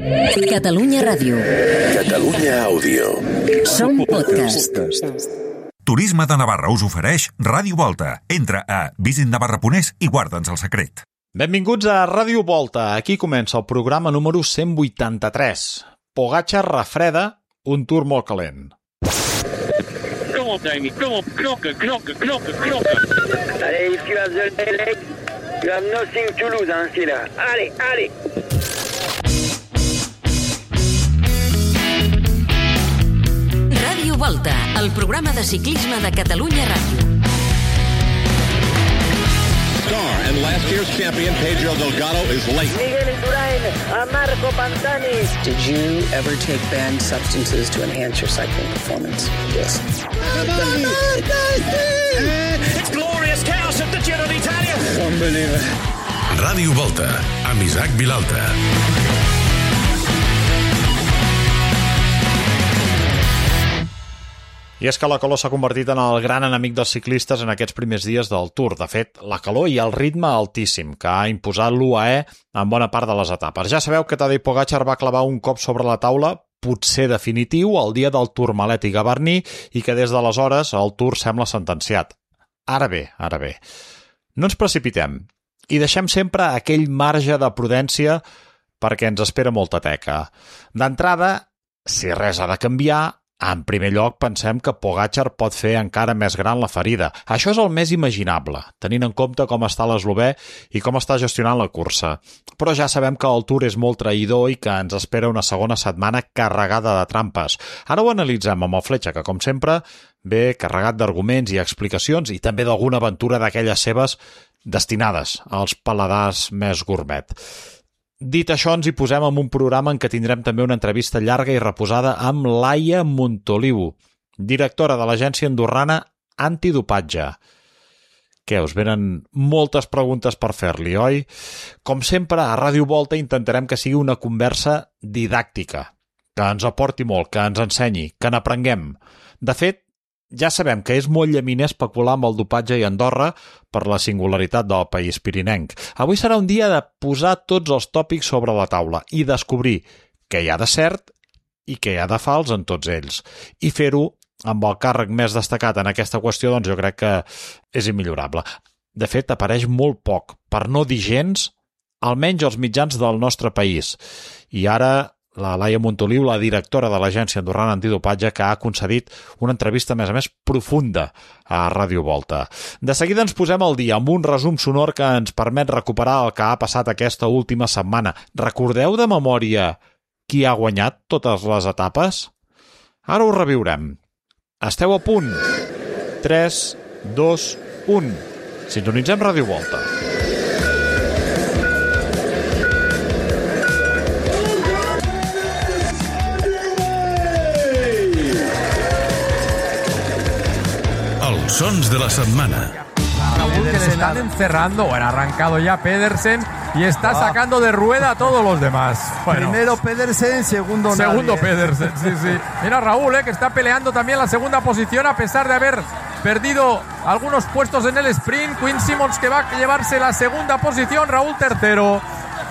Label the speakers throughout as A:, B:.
A: Catalunya Ràdio.
B: Catalunya Àudio.
A: Som podcast.
C: Turisme de Navarra us ofereix Ràdio Volta. Entra a visitnavarra.es i guarda'ns el secret.
D: Benvinguts a Ràdio Volta. Aquí comença el programa número 183. Pogačar refreda, un tour molt calent.
E: Come on, Damien. Come on. Knocker.
F: Allez, Yves, tu as the leg. You have nothing to lose, hein, c'est là. Allez.
A: Ràdio Volta, el programa de ciclisme de Catalunya Ràdio.
G: And last year's champion Pedro Delgado is late.
F: Miguel Indurain, Marco Pantani.
H: Did you ever take banned substances to enhance your cycling performance? Yes.
E: It's glorious chaos at the Giro d'Italia.
G: Unbelievable.
B: Ràdio Volta, amb Isaac Vilalta.
D: I és que la calor s'ha convertit en el gran enemic dels ciclistes en aquests primers dies del Tour. De fet, la calor i el ritme altíssim que ha imposat l'UAE en bona part de les etapes. Ja sabeu que Tadej Pogačar va clavar un cop sobre la taula, potser definitiu, el dia del Tourmalet i Gavarnie, i que des d'aleshores el Tour sembla sentenciat. Ara bé, no ens precipitem i deixem sempre aquell marge de prudència perquè ens espera molta teca. D'entrada, si res ha de canviar, en primer lloc, pensem que Pogačar pot fer encara més gran la ferida. Això és el més imaginable, tenint en compte com està l'eslovè i com està gestionant la cursa. Però ja sabem que el Tour és molt traïdor i que ens espera una segona setmana carregada de trampes. Ara ho analitzem amb el Fletxa, que, com sempre, ve carregat d'arguments i explicacions i també d'alguna aventura d'aquelles seves destinades als paladars més gourmet. Dit això, ens hi posem en un programa en què tindrem també una entrevista llarga i reposada amb Laia Montoliu, directora de l'agència andorrana Antidopatge. Què, us venen moltes preguntes per fer-li, oi? Com sempre, a Ràdio Volta intentarem que sigui una conversa didàctica, que ens aporti molt, que ens ensenyi, que n'aprenguem. De fet, ja sabem que és molt llaminer especular amb el dopatge i Andorra per la singularitat del país pirinenc. Avui serà un dia de posar tots els tòpics sobre la taula i descobrir què hi ha de cert i què hi ha de fals en tots ells. I fer-ho amb el càrrec més destacat en aquesta qüestió, doncs jo crec que és immillorable. De fet, apareix molt poc, per no dir gens, almenys als mitjans del nostre país. I ara la Laia Montoliu, la directora de l'agència andorrana Antidopatge, que ha concedit una entrevista, a més, profunda a Ràdio Volta. De seguida ens posem al dia amb un resum sonor que ens permet recuperar el que ha passat aquesta última setmana. Recordeu de memòria qui ha guanyat totes les etapes? Ara ho reviurem. Esteu a punt? 3, 2, 1. Sintonitzem Ràdio Volta.
B: Sons de la setmana.
I: Raúl, que le están encerrando. Bueno, ha arrancado ya Pedersen y está sacando de rueda a todos los demás. Bueno,
J: primero Pedersen, segundo
I: Pedersen, sí. Mira Raúl, que está peleando también la segunda posición a pesar de haber perdido algunos puestos en el sprint. Quinn Simmons, que va a llevarse la segunda posición. Raúl tercero.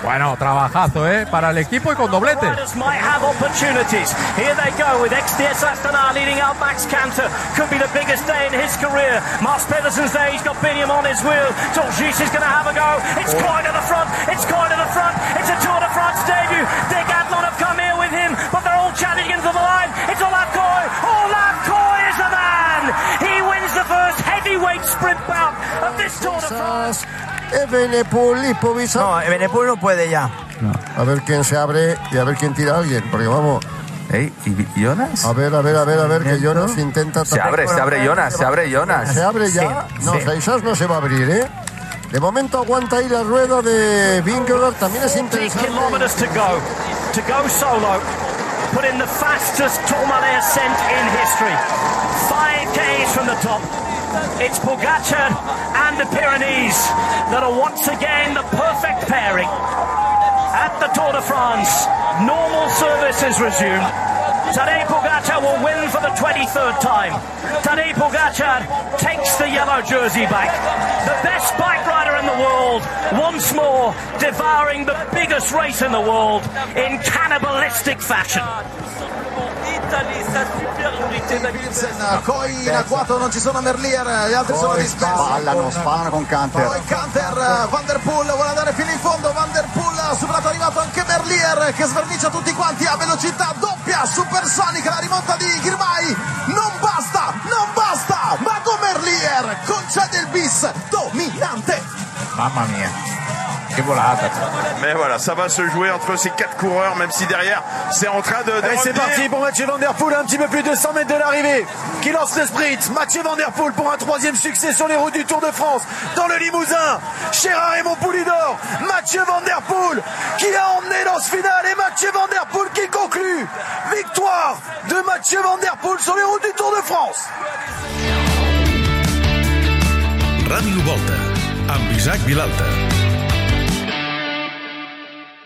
I: Bueno, trabajazo, para el equipo y con doblete.
E: Might have opportunities. Here they go with XDS Astana leading out Max Canter. Could be the biggest day in his career. Mars Pedersen's there. He's got Biniam on his wheel. Torjus is going to have a go. It's quite to the front. It's a Tour de France debut. Dick Adlon have come here with him, but they're all challenging into the line. It's Olaf Koy. Olaf Koy is the man. He wins the first heavyweight sprint bout of this Tour de France.
J: Evenepoel, Lipovic.
K: No, Evenepoel no puede ya.
J: No. A ver quién se abre y a ver quién tira a alguien, porque vamos.
K: ¿Y Jonas?
J: A ver, que Jonas intenta...
K: Se abre Jonas.
J: ¿Se abre ya? Sí, no, quizás no se va a abrir, De momento aguanta ahí la rueda de Vingegaard, también es interesante.
E: 10 kilometers to go solo. Put in the fastest Tourmalet ascent in history. 5Ks from the top. It's Pogačar and the Pyrenees that are once again the perfect pairing. At the Tour de France, normal service is resumed. Tadej Pogačar will win for the 23rd time. Tadej Pogačar takes the yellow jersey back. The best bike rider in the world, once more devouring the biggest race in the world in cannibalistic fashion.
L: Poi in agguato non ci sono Merlier, gli altri sono dispersi.
M: Spallano con Canter.
L: Poi Canter, Van der Poel vuole andare fino in fondo, Van der Poel ha superato, è arrivato anche Merlier che svernicia tutti quanti a velocità doppia, supersonica, la rimonta di Girmay, non basta, Mago Merlier concede il bis dominante.
K: Mamma mia. Quelle volata.
N: Mais voilà, ça va se jouer entre ces 4 coureurs, même si derrière, c'est en train de
L: Et c'est parti pour Mathieu Van Der Poel, un petit peu plus de 100 mètres de l'arrivée, qui lance le sprint. Mathieu Van Der Poel pour un 3e succès sur les routes du Tour de France, dans le Limousin, chez Raymond Poulidor. Mathieu Van Der Poel qui a emmené dans ce final, et Mathieu Van Der Poel qui conclut. Victoire de Mathieu Van Der Poel sur les routes du Tour de France.
B: Ràdio Volta, amb Isaac Vilalta.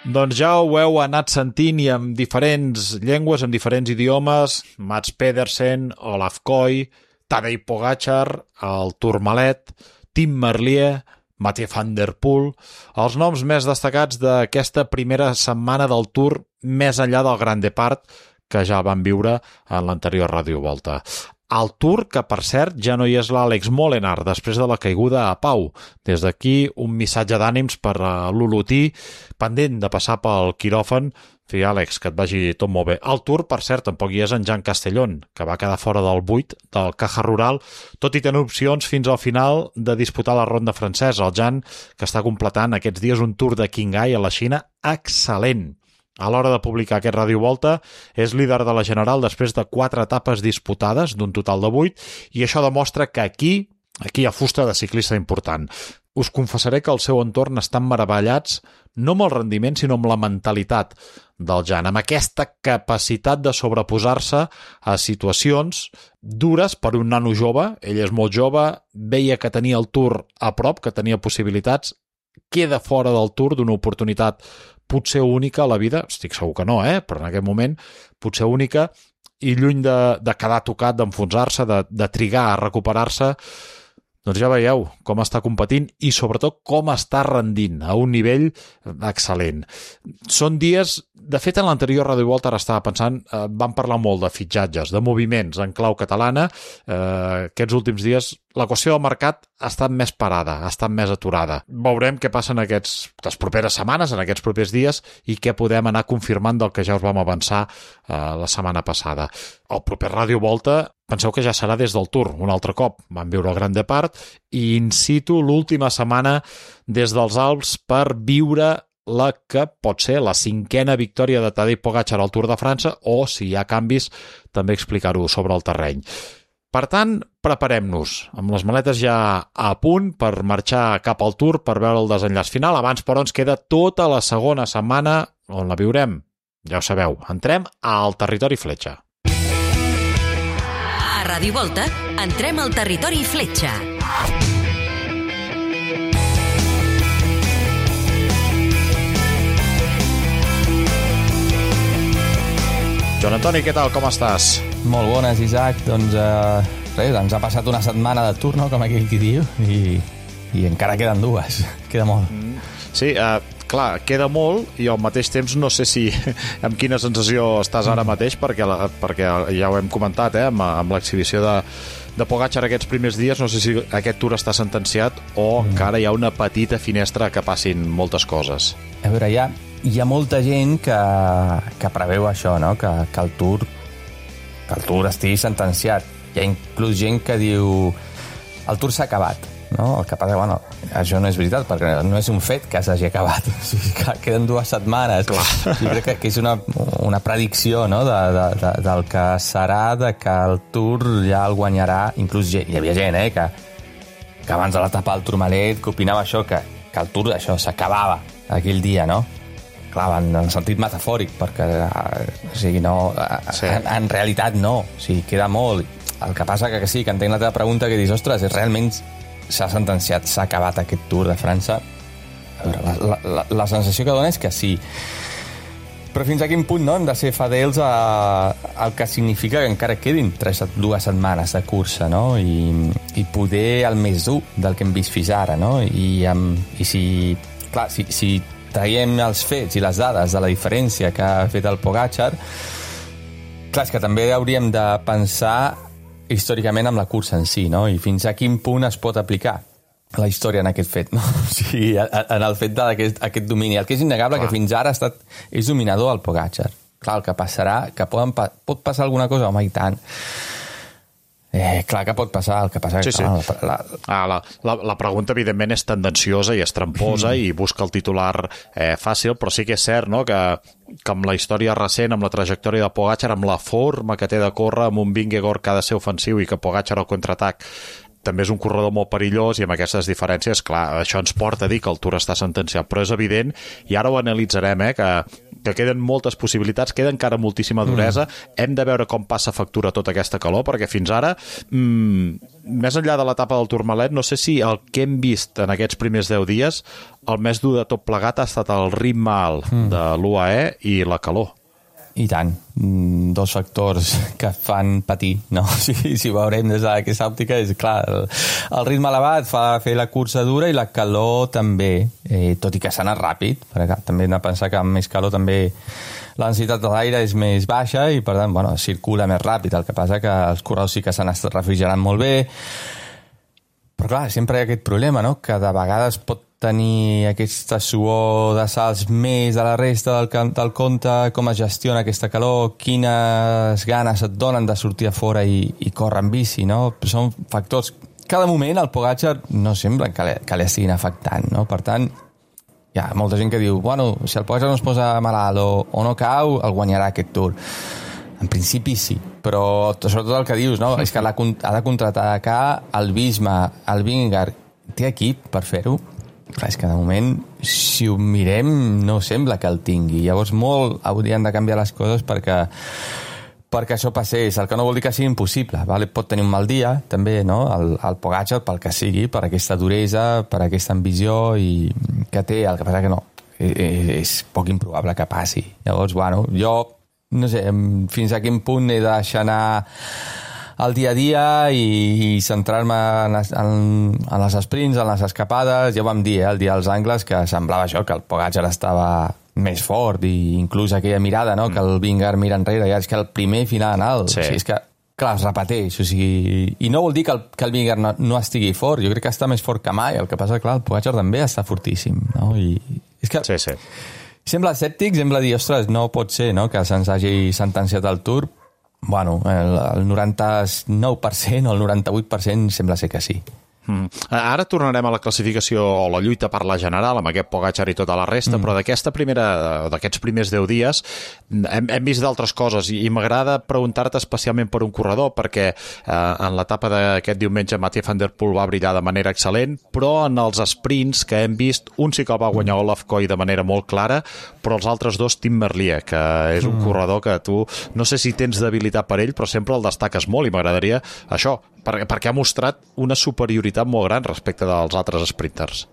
D: Doncs ja ho heu anat sentint i amb diferents llengües, amb diferents idiomes, Mats Pedersen, Olaf Koy, Tadej Pogačar, el Tourmalet, Tim Merlier, Mathieu Van Der Poel, els noms més destacats d'aquesta primera setmana del Tour més enllà del Grand Depart que ja van viure en l'anterior Ràdio Volta. El Tour, que per cert ja no hi és l'Àlex Molenaar després de la caiguda a Pau. Des d'aquí un missatge d'ànims per a l'Olotí, pendent de passar pel quiròfan. Sí, Àlex, que et vagi tot molt bé. Al Tour, per cert, tampoc hi és en Jan Castellón, que va quedar fora del 8 del Caja Rural, tot i tenir opcions fins al final de disputar la ronda francesa. El Jan, que està completant aquests dies un Tour de Qinghai a la Xina excel·lent. A l'hora de publicar aquest Ràdio Volta, és líder de la General després de 4 etapes disputades, d'un total de 8, i això demostra que aquí hi ha fusta de ciclista important. Us confessaré que el seu entorn estan meravellats no amb el rendiment, sinó amb la mentalitat del Jan, amb aquesta capacitat de sobreposar-se a situacions dures per un nano jove. Ell és molt jove, veia que tenia el Tour a prop, que tenia possibilitats, queda fora del Tour d'una oportunitat potser única a la vida, estic segur que no, però en aquest moment potser única, i lluny de quedar tocat, d'enfonsar-se, de trigar a recuperar-se, doncs ja veieu com està competint i sobretot com està rendint a un nivell excel·lent. Són dies, de fet en l'anterior Ràdio Volta ara estava pensant, vam parlar molt de fitxatges, de moviments en clau catalana, aquests últims dies la qüestió del mercat ha estat més parada, ha estat més aturada. Veurem què passa en les properes setmanes, en aquests propers dies, i què podem anar confirmant del que ja us vam avançar la setmana passada. El proper Ràdio Volta, penseu que ja serà des del Tour, un altre cop. Vam viure el Grand Depart i in situ l'última setmana des dels Alps per viure la que pot ser la 5a victòria de Tadej Pogačar al Tour de França, o, si hi ha canvis, també explicar-ho sobre el terreny. Per tant, preparem-nos, amb les maletes ja a punt per marxar cap al Tour per veure el desenllaç final. Abans, però, ens queda tota la segona setmana on la viurem. Ja ho sabeu, entrem al territori fletxa.
A: A Ràdio Volta, entrem al territori fletxa.
D: Joan Antoni, què tal? Com estàs?
O: Molt bones, Isaac. Doncs res, ens ha passat una setmana de Tour, no?, com aquell qui diu, i encara queden 2. Queda molt.
D: Sí, clar, queda molt i al mateix temps no sé si amb quina sensació estàs ara mateix, perquè ja ho hem comentat, amb l'exhibició de Pogačar aquests primers dies, no sé si aquest Tour està sentenciat o encara hi ha una petita finestra que passin moltes coses.
O: A veure, hi ha molta gent que preveu això, no?, que el Tour estigui sentenciat. Hi ha inclús gent que diu el Tour s'ha acabat, no? El que passa, bueno, això no és veritat, perquè no és un fet que s'hagi acabat. O sigui, que queden 2 setmanes. Jo crec que és una predicció, no?, del que serà, de que el Tour ja el guanyarà. Inclús hi havia gent, que abans de l'etapa del Tourmalet que opinava això, que el Tour això s'acabava aquell dia, no? Clar, en el sentit metafòric, perquè o sigui, no, en realitat no, o sigui, queda molt. El que passa que sí, que entenc la teva pregunta, que dius, ostres, realment s'ha sentenciat, s'ha acabat aquest Tour de França. A veure, la sensació que dona és que sí, Però fins a quin punt no, hem de ser fidels al que significa que encara quedin 2 setmanes de cursa, no? I poder el més dur del que hem vist fins ara, no? I si traiem els fets i les dades de la diferència que ha fet el Pogačar, clar, és que també hauríem de pensar històricament amb la cursa en si, no? I fins a quin punt es pot aplicar la història en aquest fet, no? O sigui, en el fet d'aquest domini. El que és innegable que fins ara és dominador el Pogačar. Clar, el que passarà, que pot passar alguna cosa, home, i tant. Clar que pot passar, el que passa...
D: Sí,
O: clar,
D: sí. La pregunta, evidentment, és tendenciosa i és tramposa i busca el titular fàcil, però sí que és cert, no?, que amb la història recent, amb la trajectòria de Pogačar, amb la forma que té de córrer, amb un Vingegaard que ha de ser ofensiu i que Pogačar al contraatac també és un corredor molt perillós, i amb aquestes diferències, clar, això ens porta a dir que el Tour està sentenciat, però és evident, i ara ho analitzarem, que queden moltes possibilitats, queda encara moltíssima duresa, hem de veure com passa factura tota aquesta calor, perquè fins ara, més enllà de l'etapa del Tourmalet, no sé si el que hem vist en aquests primers 10 dies, el més dur de tot plegat ha estat el ritme alt de l'UAE i la calor.
O: I tant, 2 factors que fan patir, no? Si veurem des d'aquesta òptica, és clar, el ritme elevat fa fer la cursa dura i la calor també, tot i que s'ha anat ràpid, perquè també hem de pensar que amb més calor també la densitat de l'aire és més baixa i per tant, bueno, circula més ràpid, el que passa que els corredors sí que s'han estat refrigerant molt bé, però clar, sempre hi ha aquest problema, no?, que de vegades pot tenir aquesta suor de salts més de la resta del compte, com es gestiona aquesta calor, quines ganes et donen de sortir a fora i córrer en bici, no? Són factors... Cada moment el Pogačar no sembla que l'estiguin afectant, no? Per tant, hi ha molta gent que diu, bueno, si el Pogačar no es posa malalt o no cau, el guanyarà aquest Tour. En principi sí, però sobretot el que dius, no? És que ha de contraatacar el Visma, el Vingegaard, té equip per fer-ho. Clar, és que de moment, si ho mirem, no sembla que el tingui. Llavors molt haurien de canviar les coses perquè això passés, el que no vol dir que sigui impossible, vale? Pot tenir un mal dia, també, no? El Pogačar, pel que sigui, per aquesta duresa, per aquesta ambició i que té, el que passa que no, és poc improbable que passi. Llavors, bueno, jo, no sé, fins a quin punt he de deixar anar al dia a dia i centrar-me en les sprints, en les escapades. Ja ho vam dir, el dia dels Angles, que semblava això, que el Pogačar estava més fort, i inclús aquella mirada, no?, que el Vingegaard mira enrere, ja és que el primer final alt, sí. O sigui, és que, clar, es repeteix, o sigui, i no vol dir que el Vingegaard no estigui fort, jo crec que està més fort que mai, el que passa, clar, el Pogačar també està fortíssim, no?, i és que...
D: Sí, sí.
O: Sembla escèptic, sembla dir, ostres, no pot ser, no?, que se'ns hagi sentenciat el Tour. Bueno, el 99% o el 98% sembla ser que sí.
D: Ara tornarem a la classificació o la lluita per la general amb aquest Pogačar i tota la resta, però d'aquests primers 10 dies hem vist d'altres coses i m'agrada preguntar-te especialment per un corredor, perquè en l'etapa d'aquest diumenge Mathieu van der Poel va brillar de manera excel·lent, però en els sprints que hem vist, un sí que el va guanyar Olaf Koy de manera molt clara, però els altres dos, Tim Merlier, que és un corredor que tu no sé si tens debilitat per ell, però sempre el destaques molt, i m'agradaria això, perquè ha mostrat una superioritat molt gran respecte dels altres sprinters.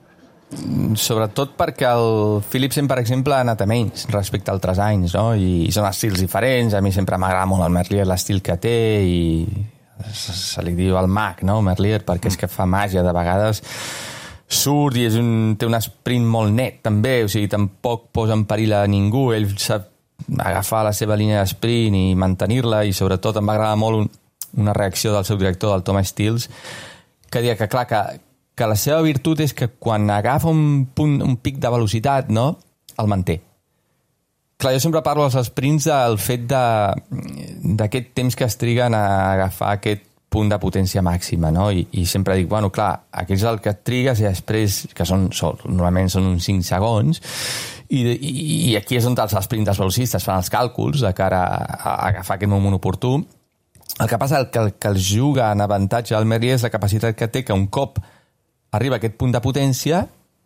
O: Sobretot perquè el Philipsen, per exemple, ha anat a menys respecte a altres anys, no? I són estils diferents. A mi sempre m'agrada molt el Merlier, l'estil que té, i se li diu el mag, no?, Merlier, perquè és que fa màgia. De vegades surt i té un sprint molt net, també, o sigui, tampoc posa en perill a ningú. Ell sap agafar la seva línia d'esprint i mantenir-la, i sobretot em va agradar molt una reacció del seu director, del Thomas Stills, que deia que, clar, que la seva virtut és que quan agafa un pic de velocitat, no?, el manté. Clar, jo sempre parlo als sprints del fet d'aquest temps que es triguen a agafar aquest punt de potència màxima, no? I sempre dic, bueno, clar, aquí és el que et trigues i després, que normalment són uns 5 segons, i aquí és on els sprinters velocistes fan els càlculs de cara a agafar aquest moment oportú. El que passa que el que els juga en avantatge al Merlier és la capacitat que té, que un cop arriba a aquest punt de potència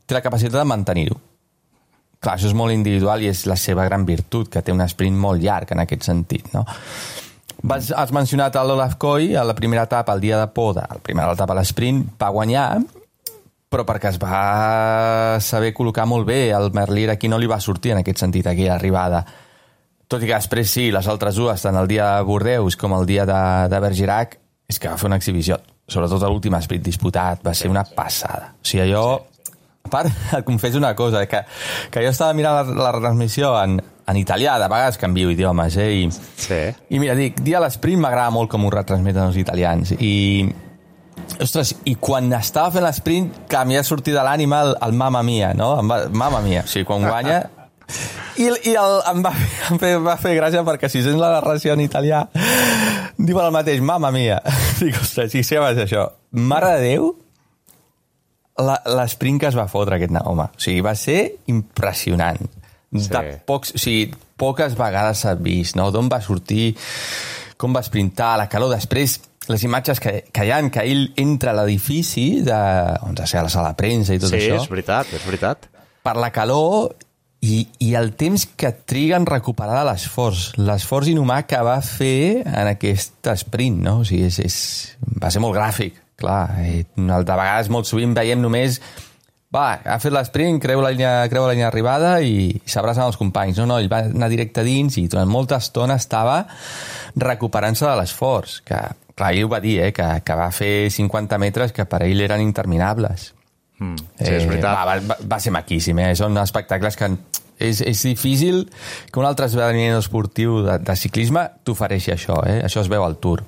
O: té la capacitat de mantenir-ho. Clar, això és molt individual i és la seva gran virtut, que té un sprint molt llarg en aquest sentit, no? Has mencionat l'Olaf Koy, a la primera etapa, el dia de poda, la primera etapa a l'esprint, va guanyar, però perquè es va saber col·locar molt bé. El Merlier aquí no li va sortir en aquest sentit, aquella arribada. tot i que després sí, les altres dues, tant el dia de Bordeus com el dia de Bergerac, és que va fer una exhibició, sobretot l'últim sprint disputat, va ser una passada. O sigui, allò... A part, et confesso una cosa, que jo estava mirant la retransmissió en italià, de vegades canvio idiomes, i mira, dic, dia a l'esprint m'agrada molt com ho retransmeten els italians, ostres, i quan estava fent l'esprint que m'hi ha sortit de l'ànima el Mamma Mia, no? Mamma Mia, o sigui, quan guanya... I em va fer gràcia perquè si sents la narració en italià diuen el mateix, Mamma Mia. Dic, ostres, si és això. Mare de Déu, l'esprint que es va fotre aquest home. O sigui, va ser impressionant. Poques vegades s'ha vist, no? D'on va sortir, com va sprintar, la calor. Després, les imatges que hi ha, que ell entra a l'edifici, on sé, a la sala de premsa i tot això.
D: Sí, és veritat.
O: Per la calor i el temps que triga en recuperar l'esforç inhumà que va fer en aquest sprint, no? O sigui, va ser molt gràfic, clar. De vegades, molt sovint, veiem només ha fet l'esprint, creu la línia d'arribada i s'abracen els companys. No, ell va anar directe dins i durant molta estona estava recuperant-se de l'esforç. Que, clar, ell ho va dir, que va fer 50 metres que per ell eren interminables.
D: Sí, és veritat.
O: Va ser maquíssim, són espectacles que és difícil que un altre esdeveniment esportiu de ciclisme t'ofereixi això, això es veu al Tour.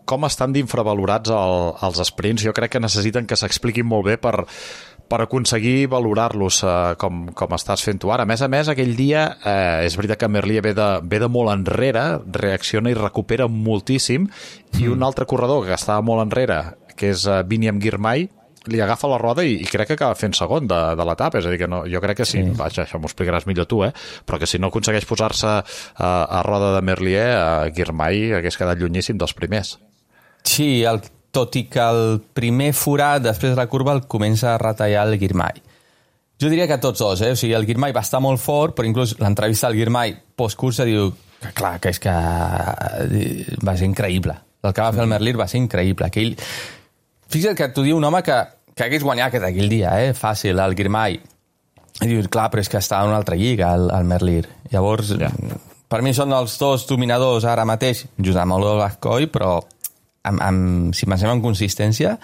D: Com estan d'infravalorats els sprints? Jo crec que necessiten que s'expliquin molt bé per aconseguir valorar-los com estàs fent tu ara. A més, aquell dia és veritat que Merlier ve de molt enrere, reacciona i recupera moltíssim, i un altre corredor que estava molt enrere, que és Biniam Girmay, li agafa la roda i crec que acaba fent segon de l'etapa. És a dir, que no, jo crec que sí, vaja, això m'ho explicaràs millor tu, però que si no aconsegueix posar-se a roda de Merlier, Girmay hagués quedat llunyíssim dels primers.
O: Sí, tot i que el primer forat després de la curva el comença a retallar el Girmay. Jo diria que tots dos, o sigui, el Girmay va estar molt fort, però inclús l'entrevista al Girmay postcursa diu que clar, que és que va ser increïble. El que va fer el Merlier va ser increïble. Que ell... Fixa't que t'ho diu un home que hagués guanyat aquell dia, fàcil, el Girmay. I dius, clar, però és que està en una altra lliga, el Merlier. Llavors, per mi són els dos dominadors ara mateix, just amb el Gascoy, però si pensem en consistència,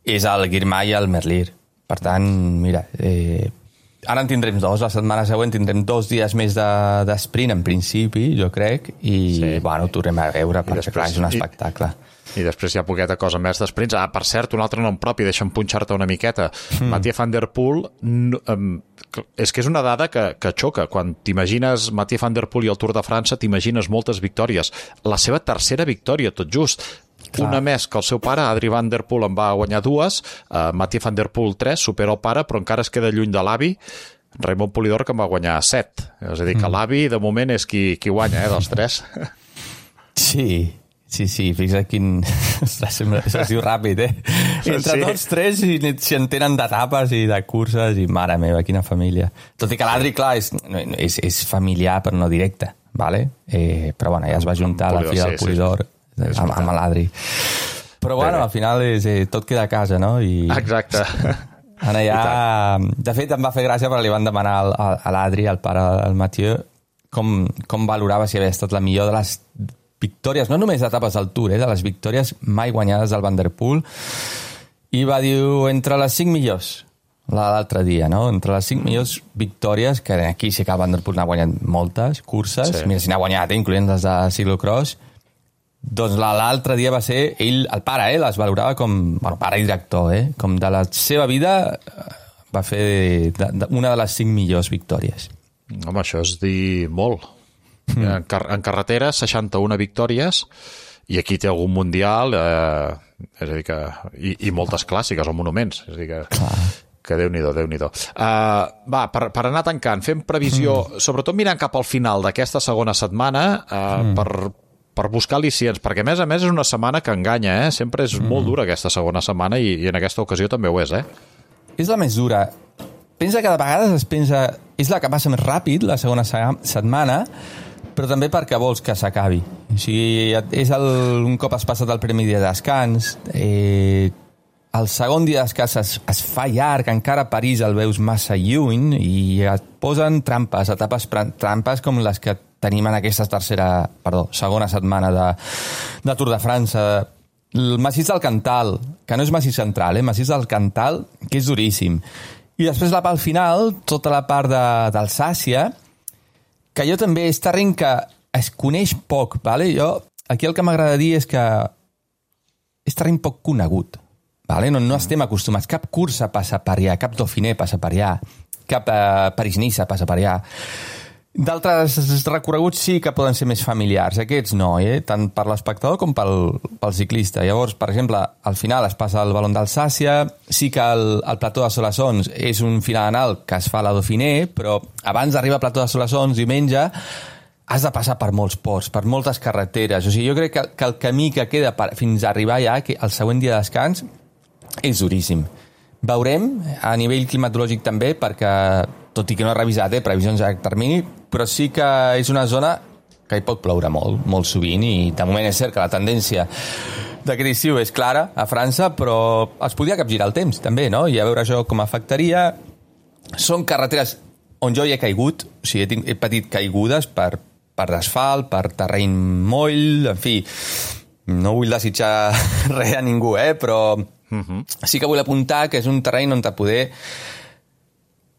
O: és el Girmay i el Merlier. Per tant, mira, ara en tindrem dos, la setmana següent tindrem 2 dies més d'esprint, en principi, jo crec, i bueno, ho tornem a veure, perquè clar, és un espectacle.
D: I després hi ha poqueta cosa més d'esprints. Per cert, un altre nom propi, deixa'm punxar-te una miqueta. Mathieu van der Poel, és que és una dada que xoca. Quan t'imagines Mathieu van der Poel i el Tour de França, t'imagines moltes victòries. La seva tercera victòria, tot just. Clar. Una més que el seu pare, Adri van der Poel, en va guanyar 2, Mathieu van der Poel 3, supera el pare, però encara es queda lluny de l'avi, Raimon Polidor, que en va guanyar 7. És a dir, que l'avi, de moment, és qui guanya, dels 3.
O: Sí, fixa't quin... Ostres, això es diu ràpid, Entre tots 3 s'hi entenen d'etapes i de curses i mare meva, quina família. Tot i que l'Adri, clar, és familiar però no directe, ¿vale? Però bueno, ja es va juntar la filla del Polidor amb l'Adri. Però bueno, al final tot queda a casa, no?
D: Exacte.
O: Allà, de fet, em va fer gràcia perquè li van demanar a l'Adri, al pare del Mathieu, com valorava si havia estat la millor de les victòries, no només d'etapes del Tour, de les victòries mai guanyades del Van der Poel, i va dir entre les 5 millors l'altre dia, no? Entre les 5 millors victòries, que aquí sí que el Van der Poel n'ha guanyat moltes curses, mira si n'ha guanyat, incloent les de ciclocross, doncs l'altre dia va ser ell, el pare, les valorava com, pare i director, com de la seva vida va fer una de les 5 millors victòries.
D: Home, això és dir molt. En carretera, 61 victòries, i aquí té algun mundial, és a dir que... I moltes clàssiques o monuments, és a dir que Déu-n'hi-do, Déu-n'hi-do. Per anar tancant, fem previsió, sobretot mirant cap al final d'aquesta segona setmana, per buscar al·licients, perquè a més és una setmana que enganya, sempre és molt dura aquesta segona setmana, i en aquesta ocasió també ho és,
O: És la més dura. Pensa que de vegades es pensa... És la que passa més ràpid, la segona setmana, però també perquè vols que s'acabi. O sigui, és un cop has passat el primer dia de descans, el segon dia de descans es fa llarg, encara a París el veus massa lluny i et posen trampes, etapes trampes com les que tenim en aquesta segona setmana de Tour de França. El massís del Cantal, que no és massís central, massís del Cantal, que és duríssim. I després al final, tota la part d'Alsàcia, que jo també és terreny que es coneix poc, vale? Jo, aquí el que m'agrada dir és que és terreny poc conegut. Vale? No estem acostumats. Cap cursa passa per allà, cap Dauphiné passa per allà, cap París-Niça passa per allà. D'altres recorreguts sí que poden ser més familiars. Aquests no, tant per l'espectador com pel ciclista. Llavors, per exemple, al final es passa el Ballon d'Alsàcia, sí que el Plató de Soissons és un final anal que es fa a la Dauphiné, però abans d'arribar al Plató de Soissons, diumenge, has de passar per molts ports, per moltes carreteres. O sigui, jo crec que el camí que queda fins a arribar allà, que el següent dia de descans, és duríssim. Veurem, a nivell climatològic també, perquè, tot i que no he revisat previsions a termini, però sí que és una zona que hi pot ploure molt, molt sovint, i de moment és cert que la tendència d'aquest estiu és clara a França, però es podria capgirar el temps, també, no? I a veure això com afectaria. Són carreteres on jo hi he caigut, o sigui, he patit caigudes per asfalt, per terreny moll, en fi, no vull desitjar res a ningú, però sí que vull apuntar que és un terreny on poder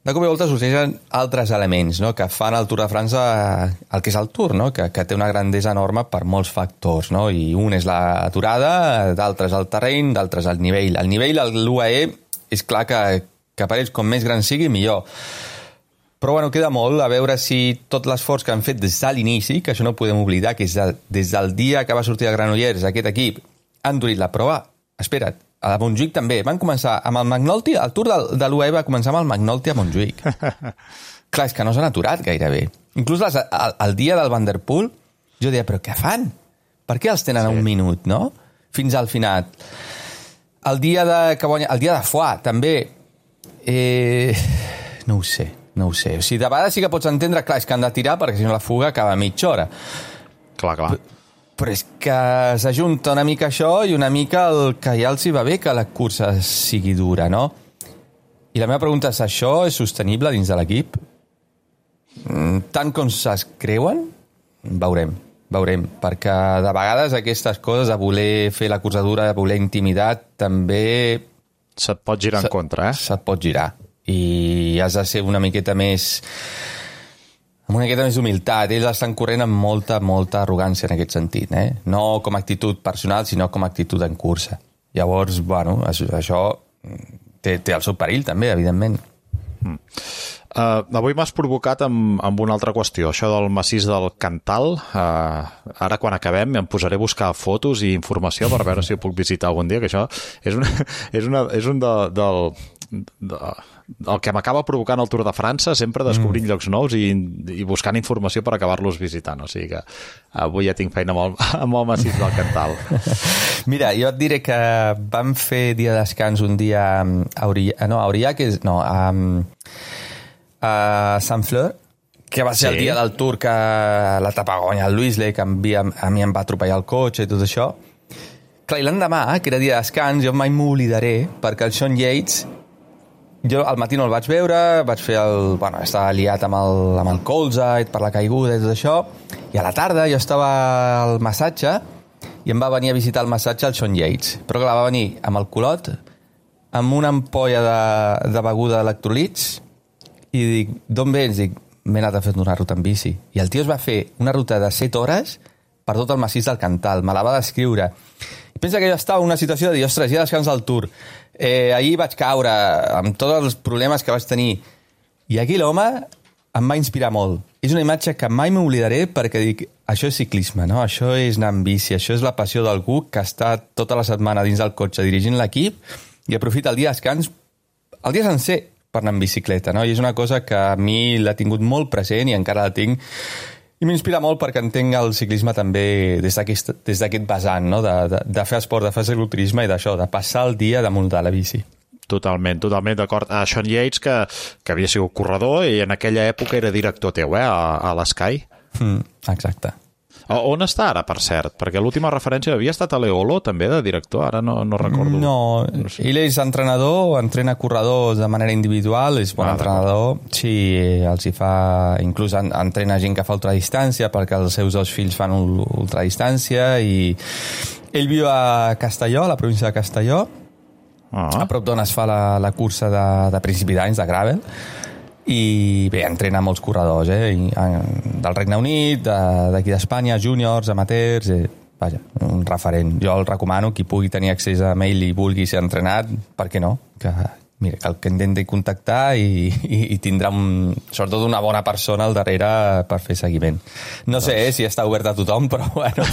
O: de cop i volta sorgeixen altres elements, no? Que fan el Tour de França el que és el Tour, no? Que té una grandesa enorme per molts factors, no? I un és l'aturada, d'altres el terreny, d'altres el nivell. El nivell, l'UAE, és clar que per ells com més gran sigui, millor. Però bueno, queda molt a veure si tot l'esforç que han fet des de l'inici, que això no ho podem oblidar, que és des del dia que va sortir de Granollers aquest equip, han durit la prova. Espera't, a Montjuïc també. Van començar amb el McNulty, el Tour de l'UAE va començar amb el McNulty a Montjuïc. Clar, és que no s'han aturat gairebé. Inclús el dia del Van der Poel, jo deia, però què fan? Per què els tenen a un minut, no? Fins al final. El dia de Foix, també, no ho sé. O sigui, de vegades sí que pots entendre, clar, és que han de tirar perquè si no la fuga acaba a mitja hora.
D: Clar.
O: Però és que s'ajunta una mica això i una mica el que ja els hi va bé que la cursa sigui dura, no? I la meva pregunta és, això és sostenible dins de l'equip? Tant com es creuen? Veurem, perquè de vegades aquestes coses de voler fer la cursa dura, de voler intimidat, també...
D: Se't pot girar en contra,
O: Se't pot girar. I has de ser una miqueta més d'humilitat. Ells estan corrent amb molta arrogància en aquest sentit, no com a actitud personal, sinó com a actitud en cursa. Llavors, bueno, això té el seu perill també, evidentment.
D: Avui m'has provocat amb una altra qüestió, això del massís del Cantal. Ara quan acabem em posaré a buscar fotos i informació per veure si ho puc visitar algun dia, que això és un el que m'acaba provocant el Tour de França, sempre descobrint llocs nous i buscant informació per acabar-los visitant, o sigui que avui ja tinc feina amb el massís del Cantal.
O: Mira, jo et diré que vam fer dia de descans un dia a Saint-Fleur, que va ser el dia del Tour que l'etapa guanya el Luisle, que a mi em va atropellar el cotxe i tot això. Clar, i l'endemà, que era dia de descans, jo mai m'oblidaré, perquè el Sean Yates, jo al matí no el vaig veure, estava liat amb el colze per la caiguda i tot això, i a la tarda jo estava al massatge i em va venir a visitar el massatge el Sean Yates, però clar, va venir amb el culot, amb una ampolla de beguda d'electrolits, i dic, d'on vens? Dic, m'he anat a fer una ruta en bici. I el tio es va fer una ruta de 7 hores per tot el massís del Cantal, me la va descriure. I pensa que jo estava en una situació de dir, ostres, ja descans del Tour. Ahir vaig caure amb tots els problemes que vaig tenir. I aquí l'home em va inspirar molt. És una imatge que mai m'oblidaré perquè dic, això és ciclisme, no? Això és anar en bici, això és la passió d'algú que està tota la setmana dins del cotxe dirigint l'equip i aprofita el dia de descans, el dia sencer, per anar en bicicleta, no? I és una cosa que a mi l'ha tingut molt present i encara la tinc. I m'inspira molt perquè entenc el ciclisme també des d'aquest vessant, no? De fer esport, de fer cicloturisme i d'això, de passar el dia damunt de la bici.
D: Totalment d'acord. Sean Yates, que havia sigut corredor i en aquella època era director teu, a l'Sky.
O: Exacte.
D: On està ara, per cert? Perquè l'última referència havia estat a l'Eolo, també, de director, ara no recordo.
O: No, ell és entrenador, entrena corredors de manera individual, és bon entrenador, sí, els hi fa, inclús entrena gent que fa ultradistància, perquè els seus dos fills fan ultradistància, i ell viu a Castelló, a la província de Castelló, a prop d'on es fa la cursa de principi d'anys, de gravel, i bé, entrena molts corredors, del Regne Unit, d'aquí d'Espanya, júniors, amateurs, vaja, un referent. Jo el recomano, qui pugui tenir accés a mail i vulgui ser entrenat, per què no? Mira, que intenti contactar i tindrà sobretot una bona persona al darrere per fer seguiment. No sé si està obert a tothom, però bueno,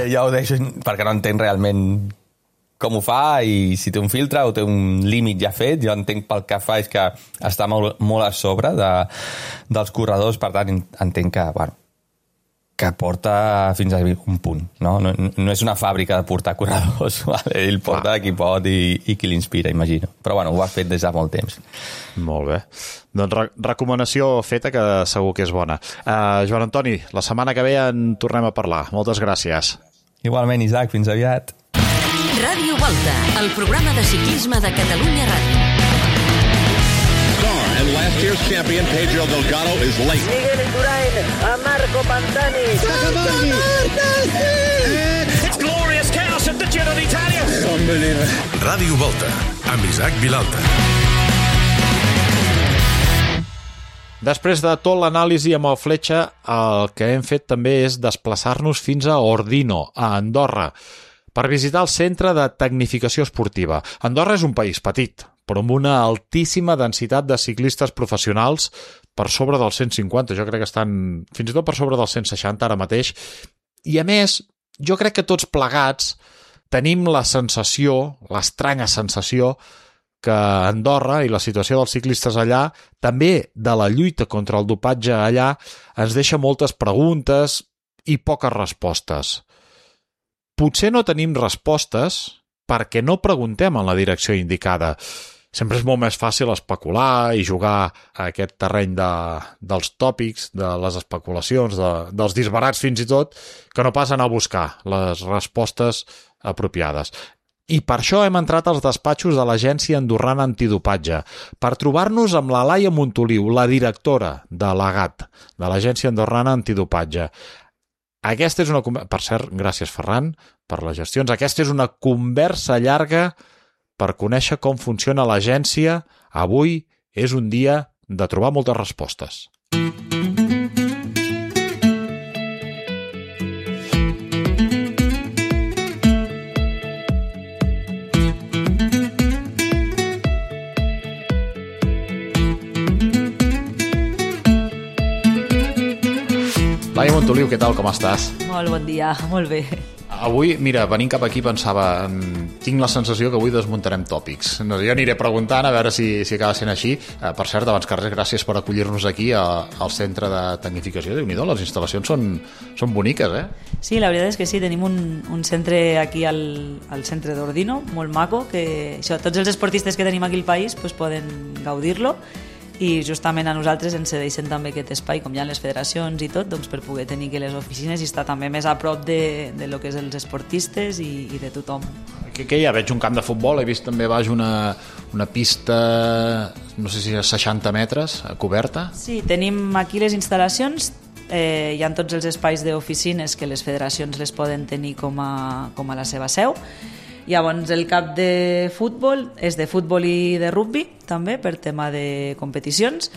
O: ja ho deixo perquè no entenc realment com ho fa i si té un filtre o té un límit ja fet. Jo entenc pel que fa és que està molt a sobre dels corredors, per tant entenc que, bueno, que porta fins a un punt, no? No és una fàbrica de portar corredors, vale? Ell porta qui pot i qui l'inspira, imagino. Però bueno, ho ha fet des de molt temps.
D: Molt bé. Doncs recomanació feta, que segur que és bona. Joan Antoni, la setmana que ve en tornem a parlar. Moltes gràcies.
O: Igualment, Isaac, fins aviat.
A: Ràdio Volta, el programa de ciclisme de Catalunya Ràdio.
G: And last year's champion, Pedro Delgado, is late.
F: Miguel Indurain, a Marco Pantani.
E: It's glorious chaos at the Giro d'Italia.
B: Unbelievable. Ràdio Volta, amb Isaac Vilalta.
D: Després de tot l'anàlisi amb el Fletxa, el que hem fet també és desplaçar-nos fins a Ordino, a Andorra, per visitar el Centre de Tecnificació Esportiva. Andorra és un país petit, però amb una altíssima densitat de ciclistes professionals, per sobre dels 150, jo crec que estan fins i tot per sobre dels 160 ara mateix, i a més, jo crec que tots plegats tenim la sensació, l'estranya sensació, que Andorra i la situació dels ciclistes allà, també de la lluita contra el dopatge allà, ens deixa moltes preguntes i poques respostes. Potser no tenim respostes perquè no preguntem en la direcció indicada. Sempre és molt més fàcil especular i jugar a aquest terreny dels tòpics, de les especulacions, dels disbarats fins i tot, que no pas anar a buscar les respostes apropiades. I per això hem entrat als despatxos de l'Agència Andorrana Antidopatge, per trobar-nos amb la Laia Montoliu, la directora de l'AGAT, de l'Agència Andorrana Antidopatge. Aquesta és una... Per cert, gràcies, Ferran, per les gestions. Aquesta és una conversa llarga per conèixer com funciona l'agència. Avui és un dia de trobar moltes respostes. Laia Montoliu, què tal, com estàs?
M: Molt bon dia, molt bé.
D: Avui, mira, venint cap aquí pensava, tinc la sensació que avui desmuntarem tòpics. Jo aniré preguntant a veure si acaba sent així. Per cert, abans que res, gràcies per acollir-nos aquí al Centre de Tecnificació. Déu-n'hi-do, les instal·lacions són boniques, eh?
M: Sí, la veritat és que sí, tenim un centre aquí al centre d'Ordino, molt maco, que això, tots els esportistes que tenim aquí al país pues, poden gaudir-lo, i justament a nosaltres ens cedeixen també aquest espai, com hi ha les federacions i tot, doncs per poder tenir que les oficines i estar també més a prop de lo que és els esportistes i de tothom.
D: Què hi ha? Veig un camp de futbol, he vist també baix una pista, no sé si és 60 metres, coberta.
M: Sí, tenim aquí les instal·lacions, hi ha tots els espais d'oficines que les federacions les poden tenir com a la seva seu. Llavors el camp de futbol és de futbol i de rugbi també per tema de competicions,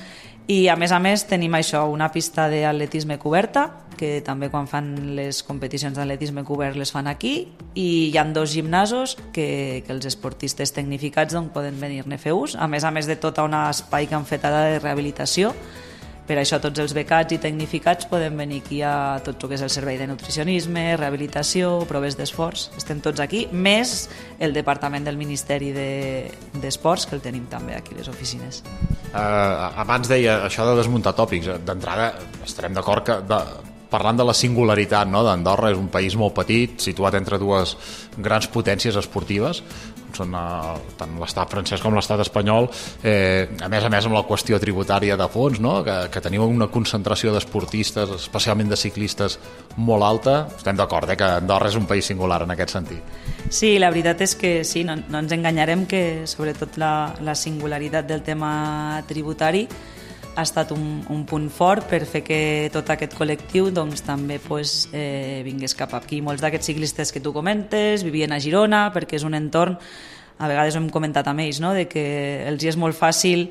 M: i a més tenim això, una pista d'atletisme coberta, que també quan fan les competicions d'atletisme cobert les fan aquí, i hi ha 2 gimnasos que els esportistes tecnificats doncs, poden venir-ne a fer ús, a més de tota un espai que han fet ara de rehabilitació. Per això tots els becats i tecnificats poden venir aquí a tot el que és el servei de nutricionisme, rehabilitació, proves d'esforç. Estem tots aquí, més el departament del Ministeri d'Esports, que el tenim també aquí a les oficines.
D: Abans deia això de desmuntar tòpics. D'entrada estarem d'acord que parlant de la singularitat, no? d'Andorra és un país molt petit, situat entre dues grans potències esportives. són tant l'estat francès com l'estat espanyol, a més amb la qüestió tributària de fons, no? que teniu una concentració d'esportistes, especialment de ciclistes, molt alta. Estem d'acord, que Andorra és un país singular en aquest sentit.
M: Sí, la veritat és que sí, no ens enganyarem que sobretot la singularitat del tema tributari ha estat un punt fort per fer que tot aquest col·lectiu doncs, també vingués cap aquí. Molts d'aquests ciclistes que tu comentes vivien a Girona perquè és un entorn, a vegades ho hem comentat amb ells, no? De que els és molt fàcil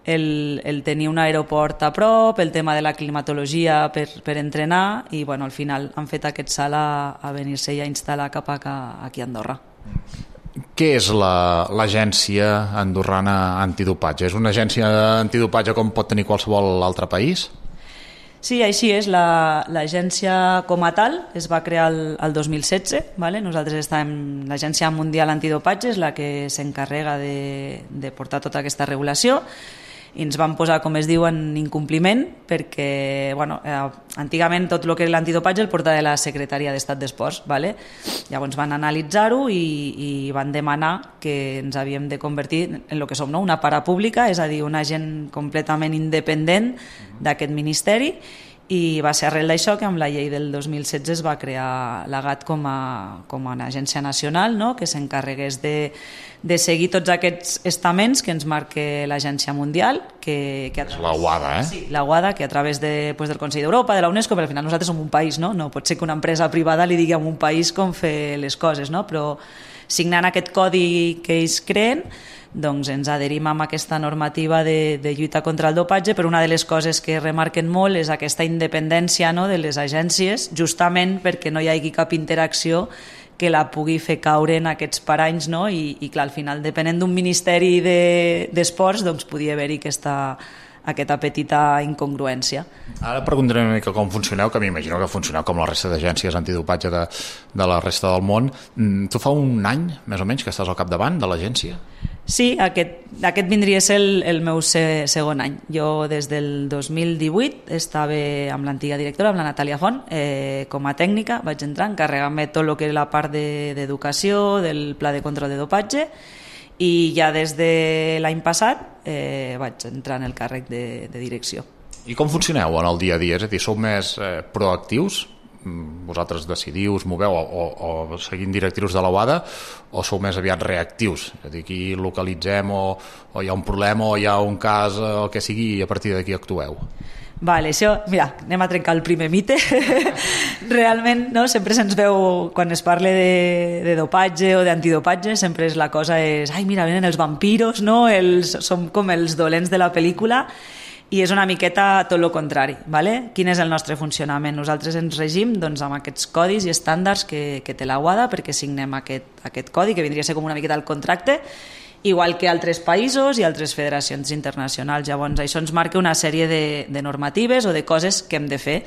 M: el tenir un aeroport a prop, el tema de la climatologia per entrenar i al final han fet aquest salt a venir-se i a instal·lar cap aquí a Andorra.
D: Què és l'agència andorrana antidopatge? És una agència antidopatge com pot tenir qualsevol altre país?
M: Sí, així és. L'agència com a tal es va crear el 2016. ¿vale? Nosaltres estàvem... L'Agència Mundial Antidopatge és la que s'encarrega de portar tota aquesta regulació i ens van posar, com es diu, en incompliment perquè, antigament tot el que és l'antidopatge el portava la Secretaria d'Estat d'Esports, ¿vale? Llavors van analitzar-ho i van demanar que ens havíem de convertir en el que som, no? Una parapública, és a dir, un agent completament independent d'aquest ministeri, i va ser arrel d'això que amb la llei del 2016 es va crear l'AGAT com a una agència nacional, no? Que s'encarregués de seguir tots aquests estaments que ens marca l'Agència Mundial, que
D: la UADA,
M: Sí, la UADA, que a través del Consell d'Europa, de la UNESCO, però al final nosaltres som un país, no? No pot ser que una empresa privada li digui a un país com fer les coses, no? Però signant aquest codi que ells creen, doncs ens adherim amb aquesta normativa de lluita contra el dopatge, però una de les coses que remarquen molt és aquesta independència, no?, de les agències, justament perquè no hi hagi cap interacció que la pugui fer caure en aquests paranys, no? I clar, al final, depenent d'un ministeri d'esports, doncs podia haver-hi aquesta petita incongruència.
D: Ara preguntaré una mica com funcioneu, que m'imagino que funcioneu com la resta d'agències antidopatge de la resta del món. Tu fa un any, més o menys, que estàs al capdavant de l'agència?
M: Sí, aquest vindria a ser el meu segon any. Jo des del 2018 estava amb l'antiga directora, amb la Natàlia Font, com a tècnica. Vaig entrar, encarregant-me tot el que és la part d'educació, del pla de control de dopatge, i ja des de l'any passat vaig entrar en el càrrec de direcció.
D: I com funcioneu en el dia a dia? És a dir, sou més proactius? Vosaltres decidiu, us moveu o seguint directius de la UADA, o sou més aviat reactius? És a dir, aquí localitzem o hi ha un problema o hi ha un cas, el que sigui, i a partir d'aquí actueu?
M: Vale, això, mira, anem a trencar el primer mite. Realment, no, sempre se'ns veu, quan es parla de dopatge o d'antidopatge, sempre la cosa és, ai, mira, venen els vampiros, no? Som com els dolents de la pel·lícula, i és una miqueta tot el contrari. ¿vale? Quin és el nostre funcionament? Nosaltres ens regim doncs, amb aquests codis i estàndards que té la UADA, perquè signem aquest codi, que vindria a ser com una miqueta el contracte, igual que altres països i altres federacions internacionals. Llavors, això ens marca una sèrie de normatives o de coses que hem de fer.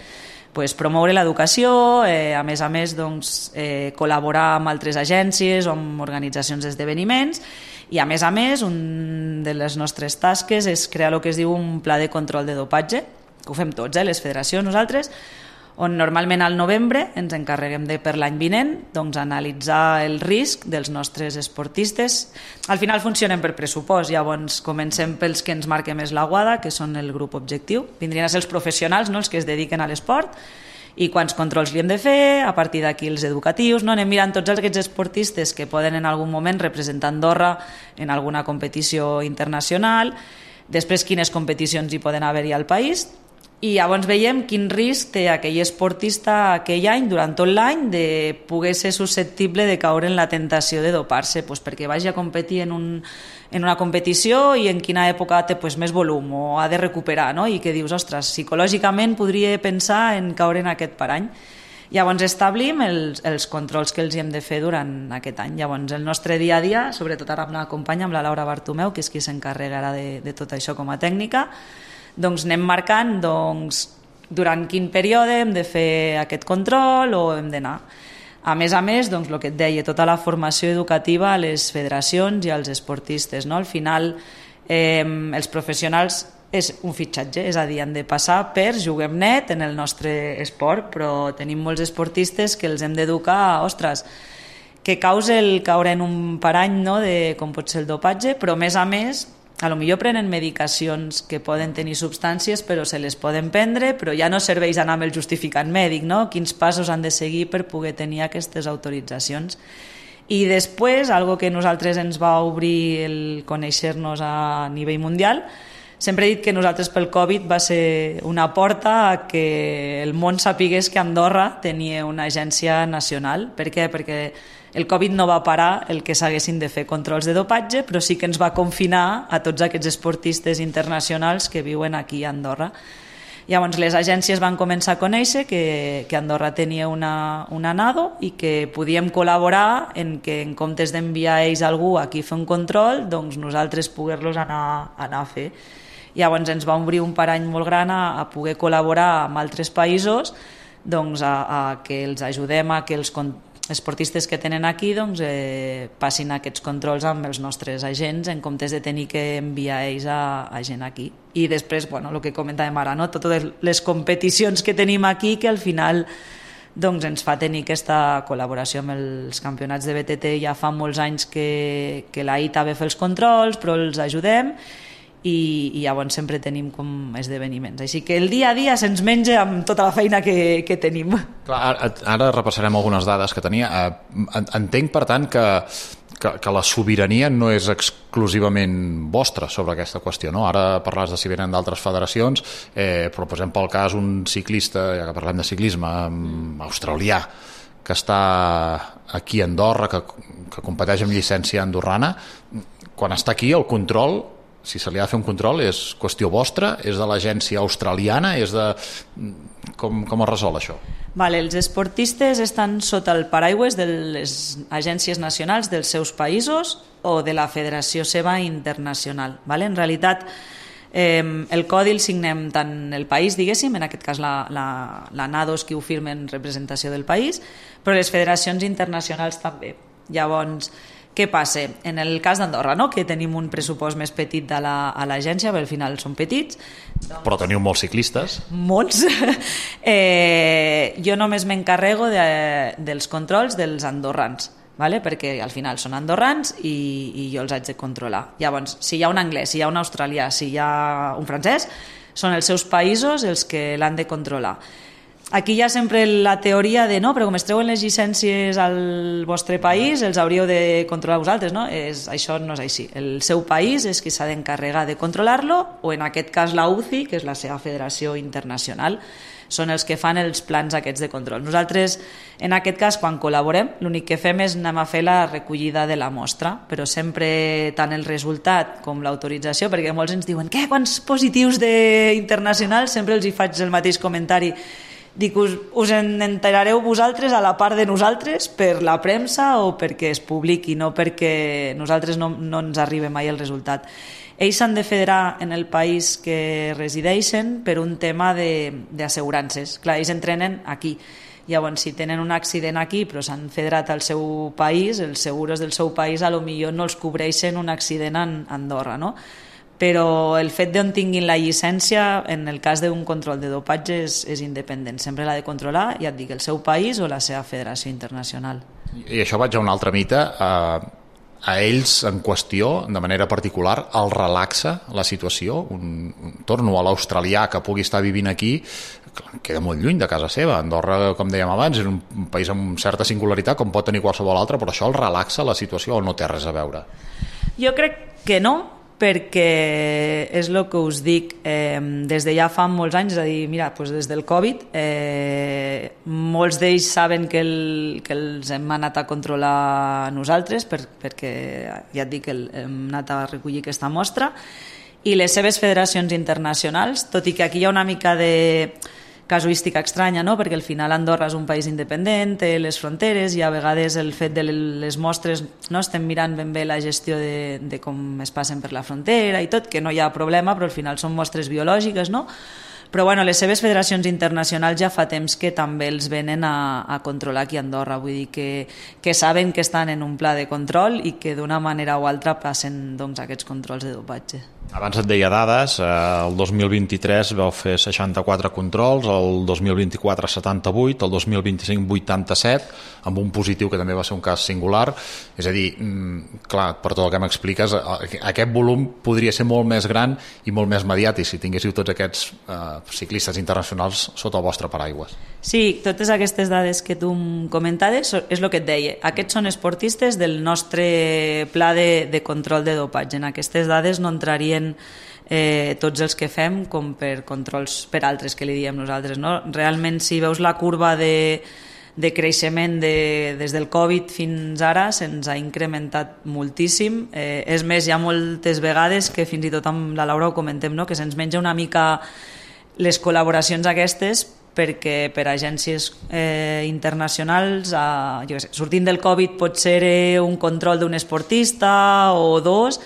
M: Pues, promoure l'educació, a més, doncs, col·laborar amb altres agències o amb organitzacions d'esdeveniments, i a més, una de les nostres tasques és crear el que es diu un pla de control de dopatge, que ho fem tots, les federacions, nosaltres, on normalment al novembre ens encarreguem per l'any vinent doncs, analitzar el risc dels nostres esportistes. Al final funcionem per pressupost, llavors comencem pels que ens marca més la UADA, que són el grup objectiu, vindrien a ser els professionals, no? Els que es dediquen a l'esport, i quants controls li hem de fer, a partir d'aquí els educatius, no? Anem mirant tots aquests esportistes que poden en algun moment representar Andorra en alguna competició internacional, després quines competicions hi poden haver-hi al país, i llavors veiem quin risc té aquell esportista aquell any, durant tot l'any, de poder ser susceptible de caure en la tentació de dopar-se, doncs perquè vagi a competir en una competició i en quina època té més volum o ha de recuperar, no? I que dius, ostres, psicològicament podria pensar en caure en aquest parany. Llavors establim els controls que els hem de fer durant aquest any. Llavors el nostre dia a dia, sobretot ara amb la companya, amb la Laura Bartomeu, que és qui s'encarregarà de tot això com a tècnica, doncs anem marcant durant quin període hem de fer aquest control o hem d'anar. A més, doncs, el que et deia, tota la formació educativa a les federacions i als esportistes. No? Al final, els professionals és un fitxatge, és a dir, han de passar per Juguem Net en el nostre esport, però tenim molts esportistes que els hem d'educar, ostres, que causa el caure en un parany, no?, de com pot ser el dopatge, però a més, a lo millor prenen medicacions que poden tenir substàncies, però se les poden prendre, però ja no serveix anar amb el justificant mèdic, no? Quins passos han de seguir per poder tenir aquestes autoritzacions. I després, algo que nosaltres ens va obrir el conèixer-nos a nivell mundial, sempre he dit que nosaltres pel Covid va ser una porta a que el món sapigués que Andorra tenia una agència nacional. Per què? Perquè el Covid no va parar el que s'haguessin de fer controls de dopatge, però sí que ens va confinar a tots aquests esportistes internacionals que viuen aquí a Andorra. Llavors les agències van començar a conèixer que Andorra tenia una NADO i que podíem col·laborar en que en comptes d'enviar ells algú aquí a fer un control, doncs nosaltres poder-los anar a fer. Llavors ens va obrir un parany molt gran a poder col·laborar amb altres països, doncs a que els ajudem a que els esportistes que tenen aquí doncs, passin aquests controls amb els nostres agents en comptes de tenir que enviar ells a gent aquí. I després, el que comentàvem ara, no? Totes les competicions que tenim aquí que al final doncs, ens fa tenir aquesta col·laboració amb els campionats de BTT. Ja fa molts anys que l'AITA ve a fer els controls, però els ajudem i llavors sempre tenim com esdeveniments. Així que el dia a dia se'ns menja amb tota la feina que tenim.
D: Clar, ara repassarem algunes dades que tenia. Entenc, per tant, que la sobirania no és exclusivament vostra sobre aquesta qüestió, no? Ara parles de si venen d'altres federacions, però posem pel cas un ciclista, ja que parlem de ciclisme, australià, que està aquí a Andorra, que competeix amb llicència andorrana. Quan està aquí, el control, si se li ha de fer un control, és qüestió vostra? És de l'agència australiana? És de... Com es resol això?
M: Els esportistes estan sota el paraigües de les agències nacionals dels seus països o de la federació seva internacional. En realitat, el codi el signem tant el país, diguéssim, en aquest cas la NADO és qui ho firma en representació del país, però les federacions internacionals també. Llavors, què passa? En el cas d'Andorra, no? Que tenim un pressupost més petit a l'agència, perquè al final són petits.
D: Però teniu molts ciclistes.
M: Molts. Jo només m'encarrego dels controls dels andorrans, perquè al final són andorrans i jo els haig de controlar. Llavors, si hi ha un anglès, si hi ha un australià, si hi ha un francès, són els seus països els que l'han de controlar. Aquí hi ha sempre la teoria de no, però com es treuen les llicències al vostre país, els hauríeu de controlar vosaltres, no? Això no és així. El seu país és qui s'ha d'encarregar de controlar-lo, o en aquest cas la UCI, que és la seva federació internacional, són els que fan els plans aquests de control. Nosaltres, en aquest cas, quan col·laborem, l'únic que fem és anem a fer la recollida de la mostra, però sempre tant el resultat com l'autorització, perquè molts ens diuen quants positius internacionals, sempre els hi faig el mateix comentari. Dic, us en enterareu vosaltres a la part de nosaltres per la premsa o perquè es publiqui, no perquè nosaltres no ens arribi mai el resultat. Ells s'han de federar en el país que resideixen per un tema d'assegurances. Clar, ells entrenen aquí. Llavors, si tenen un accident aquí però s'han federat al seu país, els seguros del seu país a lo millor no els cobreixen un accident a Andorra, no? Però el fet d'on tinguin la llicència, en el cas d'un control de dopatge, és independent. Sempre l'ha de controlar, ja et dic, el seu país o la seva federació internacional.
D: I això vaig a un altre mite. A ells, en qüestió, de manera particular, el relaxa la situació. Torno a l'australià que pugui estar vivint aquí, queda molt lluny de casa seva. Andorra, com dèiem abans, és un país amb certa singularitat, com pot tenir qualsevol altre, però això el relaxa la situació o no té res a veure?
M: Jo crec que no, perquè és el que us dic, des de ja fa molts anys, és a dir, mira, des del Covid, molts d'ells saben que els hem anat a controlar nosaltres, perquè ja et dic que hem anat a recollir aquesta mostra, i les seves federacions internacionals, tot i que aquí hi ha una mica de casuística estranya, no? Perquè al final Andorra és un país independent, té les fronteres, i a vegades el fet de les mostres, no estem mirant ben bé la gestió de com es passen per la frontera i tot, que no hi ha problema, però al final són mostres biològiques, no? Però les seves federacions internacionals ja fa temps que també els venen a controlar aquí a Andorra, vull dir que saben que estan en un pla de control i que d'una manera o altra passen aquests controls de dopatge.
D: Abans et deia dades, el 2023 vau fer 64 controls, el 2024 78, el 2025 87, amb un positiu que també va ser un cas singular. És a dir, clar, per tot el que m'expliques, aquest volum podria ser molt més gran i molt més mediàtic si tinguéssiu tots aquests ciclistes internacionals sota el vostre paraigües.
M: Sí, totes aquestes dades que tu em comentaves és el que et deia. Aquests són esportistes del nostre pla de control de dopatge. En aquestes dades no entrarien tots els que fem com per controls per altres que li diem nosaltres, no? Realment, si veus la curva de creixement des del Covid fins ara, se'ns ha incrementat moltíssim. És més, hi ha moltes vegades que fins i tot amb la Laura ho comentem, no? Que se'ns menja una mica les col·laboracions aquestes, perquè per agències internacionals, jo què sé, sortint del Covid pot ser un control d'un esportista o dos,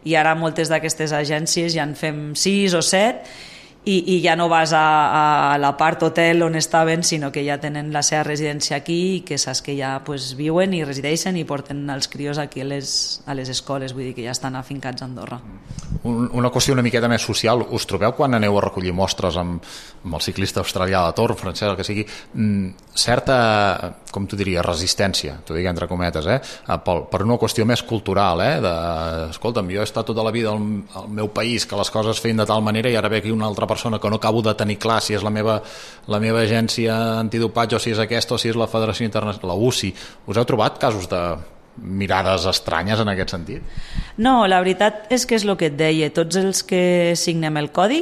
M: i ara moltes d'aquestes agències ja en fem 6 o 7 i ja no vas a la part hotel on estaven, sinó que ja tenen la seva residència aquí i que saps que ja viuen i resideixen i porten els crios aquí a les escoles, vull dir que ja estan afincats a Andorra.
D: Una qüestió una miqueta més social, us trobeu quan aneu a recollir mostres amb el ciclista australià de torn, francès, el que sigui, certa, com tu diries, resistència, t'ho dic entre cometes, per una qüestió més cultural, escolta'm, jo he estat tota la vida al meu país que les coses feien de tal manera i ara ve aquí una altra persona que no acabo de tenir clar si és la meva agència antidopatge o si és aquesta o si és la Federació Internacional, la UCI. Us heu trobat casos de mirades estranyes en aquest sentit?
M: No, la veritat és que és el que et deia. Tots els que signem el codi,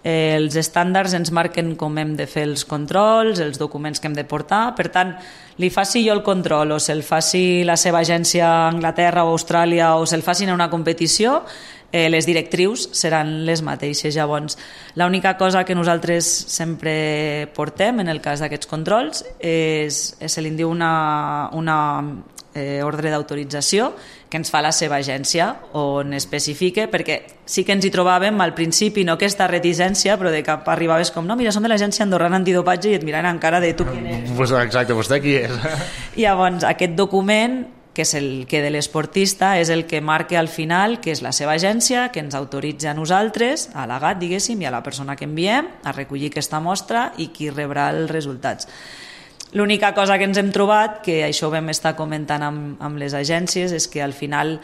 M: els estàndards ens marquen com hem de fer els controls, els documents que hem de portar. Per tant, li faci jo el control o se'l faci la seva agència a Anglaterra o Austràlia o se'l facin a una competició, les directrius seran les mateixes. Llavors, l'única cosa que nosaltres sempre portem en el cas d'aquests controls se li diu una ordre d'autorització que ens fa la seva agència on especifica, perquè sí que ens hi trobàvem al principi, no aquesta reticència, però de cap arribaves com, no, mira, som de l'agència andorrana antidopatge i et miren encara de tu qui ets.
D: Exacte, vostè qui és?
M: Llavors, aquest document, que és el que de l'esportista, és el que marca al final que és la seva agència, que ens autoritza a nosaltres, a l'AGAT, diguéssim, i a la persona que enviem, a recollir aquesta mostra i qui rebrà els resultats. L'única cosa que ens hem trobat, que això ho vam estar comentant amb les agències, és que al final,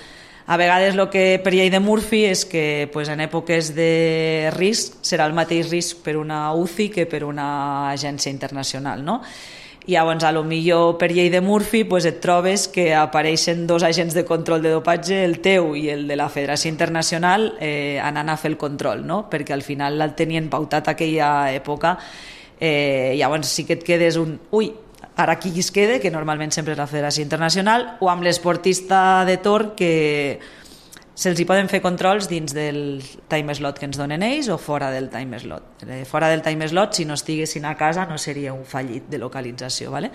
M: a vegades el que per llei de Murphy és que en èpoques de risc serà el mateix risc per una UCI que per una agència internacional, no? Llavors, a lo millor per llei de Murphy et trobes que apareixen dos agents de control de dopatge, el teu i el de la Federació Internacional, anant a fer el control, no? Perquè al final el tenien pautat aquella època. Llavors sí que et quedes ara qui es queda, que normalment sempre és la Federació Internacional, o amb l'esportista de torn, que se'ls hi poden fer controls dins del time slot que ens donen ells o fora del time slot. Fora del time slot, si no estiguessin a casa, no seria un fallit de localització, ¿vale?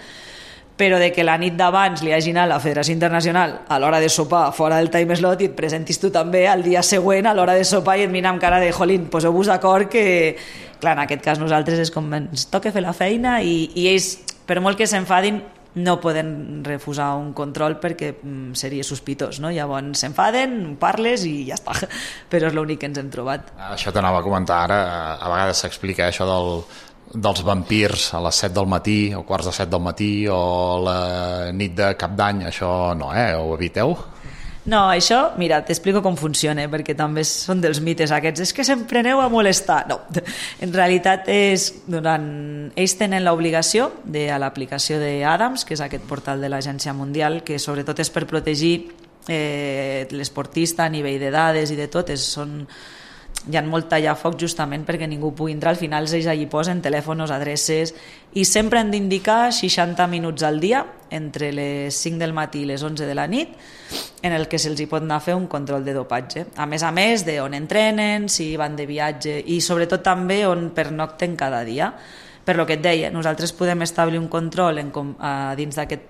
M: Però de que la nit d'abans li hagi anat la Federació Internacional a l'hora de sopar fora del time slot i et presentis tu també al dia següent a l'hora de sopar i et mira amb cara de jolín, poseu-vos d'acord que, clar, en aquest cas nosaltres és com ens toca fer la feina i ells, per molt que s'enfadin, no poden refusar un control perquè seria sospitós, no? Llavors s'enfaden, parles i ja està, però és l'únic que ens hem trobat.
D: Això t'anava a comentar ara, a vegades s'explica això dels vampirs a les 7 del matí o quarts de 7 del matí o la nit de cap d'any, això no, ho eviteu?
M: No, això, mira, t'explico com funciona, perquè també són dels mites aquests, és que sempre aneu a molestar. No, en realitat ells tenen l'obligació a l'aplicació d'Adams, que és aquest portal de l'Agència Mundial, que sobretot és per protegir l'esportista a nivell de dades i de tot, hi ha molt tallafoc justament perquè ningú pugui entrar. Al final ells allí posen telèfons, adreces, i sempre han d'indicar 60 minuts al dia entre les 5 del matí i les 11 de la nit en el que se'ls hi pot anar a fer un control de dopatge, a més d'on entrenen, si van de viatge i sobretot també on pernocten cada dia. Per lo que et deia, nosaltres podem establir un control dins d'aquest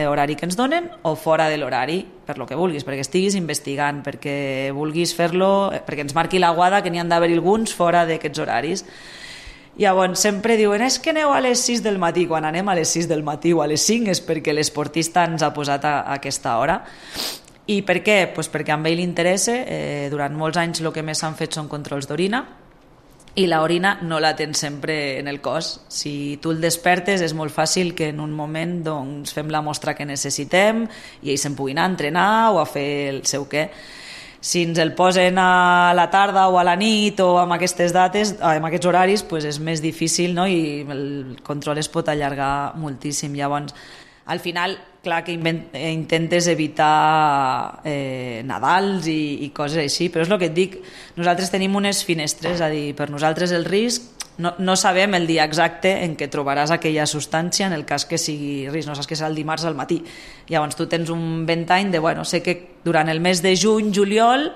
M: horari que ens donen o fora de l'horari, per lo que vulguis, perquè estiguis investigant, perquè vulguis fer-lo, perquè ens marqui la guada que n'hi han d'haver alguns fora d'aquests horaris. Llavors sempre diuen, és que aneu a les 6 del matí. Quan anem a les 6 del matí o a les 5 és perquè l'esportista ens ha posat a aquesta hora. I per què? Pues perquè a ell li interessa. Durant molts anys el que més s'han fet són controls d'orina, i l'orina no la tens sempre en el cos. Si tu el despertes és molt fàcil que en un moment doncs, fem la mostra que necessitem i ells se'n puguin anar a entrenar o a fer el seu què. Si ens el posen a la tarda o a la nit o amb aquestes dates, amb aquests horaris, doncs és més difícil, no? I el control es pot allargar moltíssim. Llavors, al final, clar que intentes evitar Nadals i coses així, però és el que et dic, nosaltres tenim unes finestres, és a dir, per nosaltres el risc, no sabem el dia exacte en què trobaràs aquella substància en el cas que sigui risc, no saps que serà el dimarts al matí. Llavors tu tens un ventall de, bueno, sé que durant el mes de juny, juliol,